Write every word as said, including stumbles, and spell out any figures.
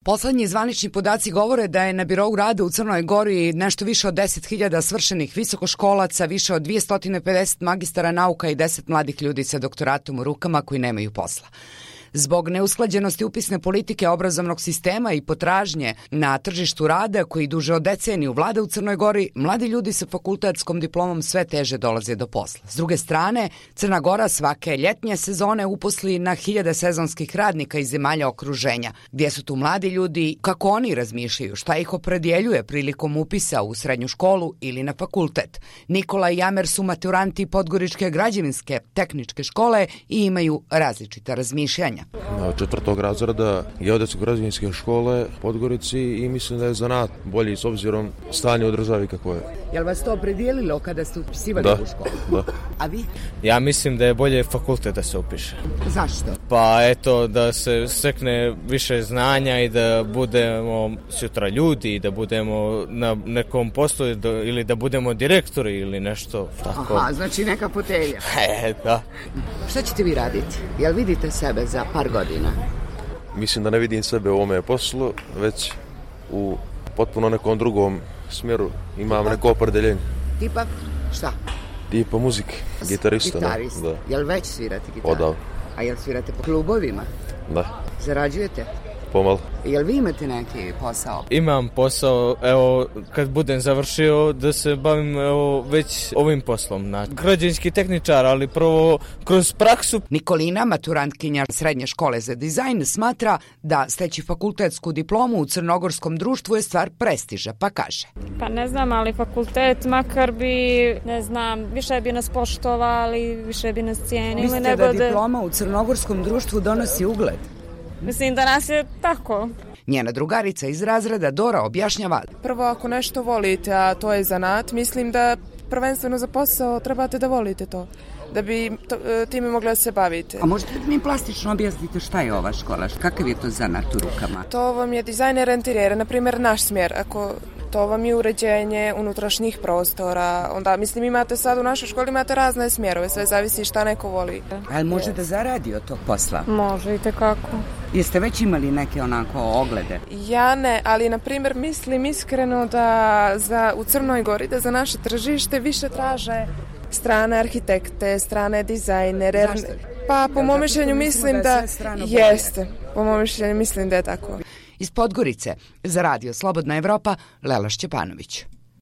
Poslednji zvanični podaci govore da je na birou rada u Crnoj Gori nešto više od deset hiljada svršenih visokoškolaca, više od dvesta pedeset magistara nauka i deset mladih ljudi sa doktoratom u rukama koji nemaju posla. Zbog neusklađenosti upisne politike obrazovnog sistema i potražnje na tržištu rada koji duže od deceniju vlada u Crnoj Gori, mladi ljudi sa fakultetskom diplomom sve teže dolaze do posla. S druge strane, Crna Gora svake ljetnje sezone uposli na hiljade sezonskih radnika iz zemalja okruženja. Gdje su tu mladi ljudi, kako oni razmišljaju, šta ih opredjeljuje prilikom upisa u srednju školu ili na fakultet. Nikola i Jamer su maturanti Podgoričke građevinske tehničke škole i imaju različita razmišljanja. Četvrtog razreda geodetsko-građevinske škole Podgorici i mislim da je zanat bolji s obzirom stanje u državi kako je. Jel vas to opredijelilo kada ste upisivali da, u školu? Da. A vi? Ja mislim da je bolje fakultet da se upiše. Zašto? Pa eto, da se stekne više znanja i da budemo sutra ljudi i da budemo na nekom poslu ili da budemo direktori ili nešto tako. Aha, znači neka fotelja. E, da. Šta ćete vi raditi? Jel vidite sebe za par godina? Mislim da ne vidim sebe u ovome poslu, već u potpuno nekom drugom smjeru. Imam Tipa? neko opredeljenje. Tipa šta? Tipa muzike, gitarista. Gitarist. Da. Jel već svirate gitaru? Odav. A jel svirate po klubovima? Da. Zarađujete? Pomalo. Jel vi imate neki posao? Imam posao, evo, kad budem završio da se bavim evo, već ovim poslom. Na građevinski tehničar, ali prvo kroz praksu. Nikolina, maturantkinja srednje škole za dizajn, smatra da steći fakultetsku diplomu u crnogorskom društvu je stvar prestiža, pa kaže. Pa ne znam, ali fakultet makar bi, ne znam, više bi nas poštovali, više bi nas cijenili. Mislite nego da da diploma u crnogorskom društvu donosi ugled? Mislim da nas je tako. Njena drugarica iz razreda Dora objašnjava. Prvo, ako nešto volite, a to je zanat, mislim da prvenstveno za posao trebate da volite to, da bi to, time mogli da se bavite. A možete li mi plastično objasniti šta je ova škola? Kakav je to zanat u rukama? To vam je dizajner interijera, na primjer naš smjer. Ako to vam je uređenje unutrašnjih prostora, onda mislim imate sad u našoj školi imate razne smjerove, sve zavisi šta neko voli. Ali može da zaradi od tog posla? Može i tekako. Jeste već imali neke onako oglede? Ja ne, ali na primjer mislim iskreno da za, u Crnoj Gori da za naše tržište više traže strane arhitekte, strane dizajnere. Zašto? Pa po mom mišljenju mislim da, da jeste. Po mom mišljenju mislim da je tako. Iz Podgorice za radio Slobodna Evropa, Lela Šćepanović.